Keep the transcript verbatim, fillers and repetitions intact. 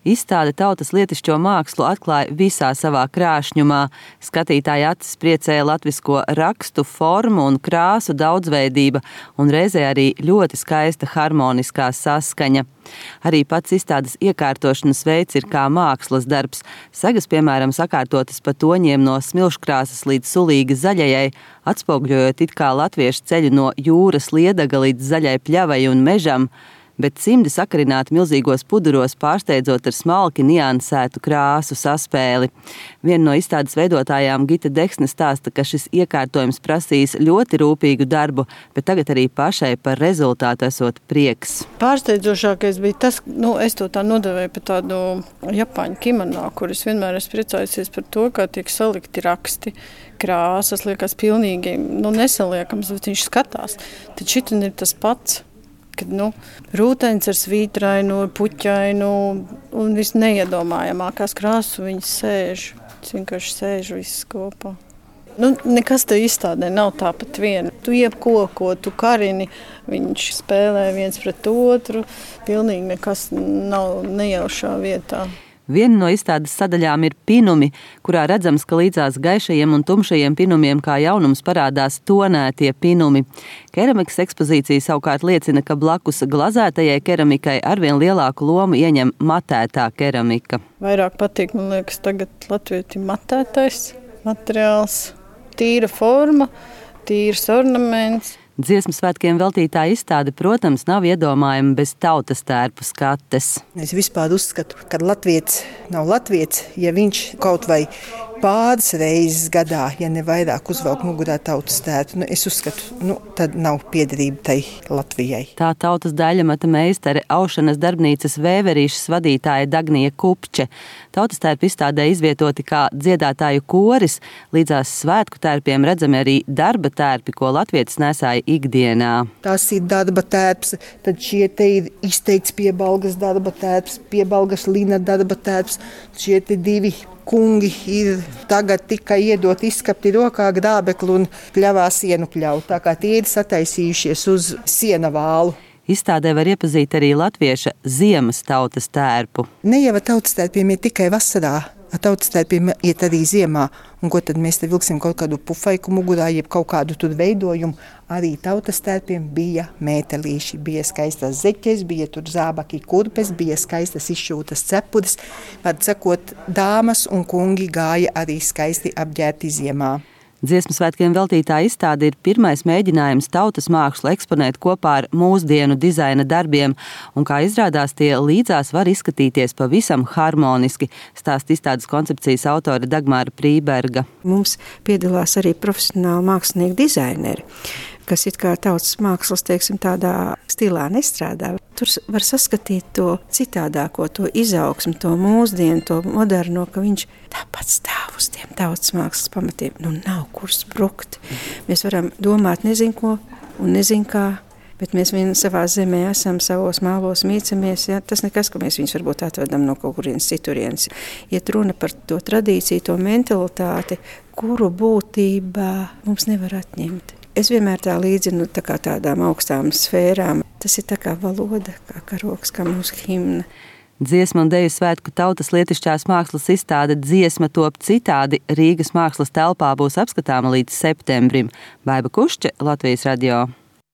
Izstāde tautas lietišķo mākslu atklāja visā savā krāšņumā. Skatītāja acis priecēja latvisko rakstu, formu un krāsu daudzveidība un reizē arī ļoti skaista harmoniskā saskaņa. Arī pats izstādes iekārtošanas veids ir kā mākslas darbs. Segas, piemēram, sakārtotas pa toņiem no smilškrāsas līdz sulīgi zaļajai, atspoguļojot it kā latviešu ceļu no jūras liedaga līdz zaļai pļavai un mežam, bet cimdi sakarināti milzīgos puduros, pārsteidzot ar smalki niansētu krāsu saspēli. Viena no izstādes veidotājām, Gita Deksne, stāsta, ka šis iekārtojums prasīs ļoti rūpīgu darbu, bet tagad arī pašai par rezultātu esot prieks. Pārsteidzošākais bija tas, nu, es to tā nodevēju par tādu japāņu kimono, kur es vienmēr esmu priecājusies par to, kā tiek salikti raksti, krāsas, liekas pilnīgi, nu, nesaliekams, bet viņš skatās. Tad šitin ir tas pats. Kad, nu, rūtenis ar svītrainu, puķainu un viss neiedomājamākās krāsu viņi sēž. Tas vienkārši sēž viss kopā. Nu, nekas te izstādē nav tāpat viena. Tu iepkoko, tu karini, viņš spēlē viens pret otru. Pilnīgi nekas nav nejaušā vietā. Viena no izstādes sadaļām ir pinumi, kurā redzams, ka līdzās gaišajiem un tumšajiem pinumiem kā jaunums parādās tonētie pinumi. Keramikas ekspozīcija savukārt liecina, ka blakus glazētajai keramikai arvien lielāku lomu ieņem matētā keramika. Vairāk patīk, man liekas, tagad latvietim matētais materiāls, tīra forma, tīrs ornaments. Dziesmu svētkiem veltītā izstāde, protams, nav iedomājama bez tautas tērpu skates. Es vispār uzskatu, ka latviets nav latviets, ja viņš kaut vai pāris reizes gadā, ja ne vairāk, uzvelk mugurā tautas tērpu. Nu, es uzskatu, nu, tad nav piederība tai Latvijai. Tā tautas daļamata meistare, aušanas darbnīcas Vēverīšas vadītāja Dagnija Kupče. Tautas tērpu izstādē izvietoti kā dziedātāju koris, līdzās svētku tērpiem redzami arī darba tērpi, ko latvietis nesāja ikdienā. Tās ir darba tērps, tad šie te ir izteikts piebalgas darba tērps, piebalgas lina darba tērps, šie te divi kungi ir tagad tikai iedot izskapti rokā grābeklu un pļavā sienu pļaut, tā kā tie ir sataisījušies uz sienavālu. Izstādē var iepazīt arī latvieša ziemas tautas tērpu. Ne jau tautas tērpiem ir tikai vasarā. Ar tautas tērpiem iet arī ziemā, un ko tad mēs te vilksim kaut kādu pufaiku mugurā, jeb kaut kādu tur veidojumu. Arī tautas tērpiem bija mētelīši, bija skaistas zeķes, bija tur zābaki kurpes, bija skaistas izšūtas cepures. Var sakot, dāmas un kungi gāja arī skaisti apģērti ziemā. Dziesmu svētkiem veltītā izstāde ir pirmais mēģinājums tautas mākslu eksponēt kopā ar mūsdienu dizaina darbiem, un kā izrādās, tie līdzās var izskatīties pavisam harmoniski, stāsta izstādes koncepcijas autore Dagmāra Prīberga. Mums piedalās arī profesionāli mākslinieki dizaineri, kas it kā tautas mākslas, teiksim, tādā stilā nestrādā. Tur var saskatīt to citādāko, to izaugsmu, to mūsdienu, to moderno, ka viņš tāpat stāv uz tiem tautas mākslas pamatiem. Nu, nav kur sprukt. Mēs varam domāt nezin ko un nezin kā, bet mēs vien savā zemē esam, savos mālos mīcamies. Ja? Tas nekas, ka mēs viņus varbūt atvedam no kaut kurienes citurienes. Iet runa par to tradīciju, to mentalitāti, kuru būtībā mums nevar atņemt. Es vienmēr tā līdzinu tā kā tādām augstām sfērām. Tas ir tā kā valoda, kā karoks, kā mūsu himna. Dziesmu un deju svētku tautas lietišķās mākslas izstāde Dziesma top citādi Rīgas mākslas telpā būs apskatāma līdz septembrim. Baiba Kušče, Latvijas radio.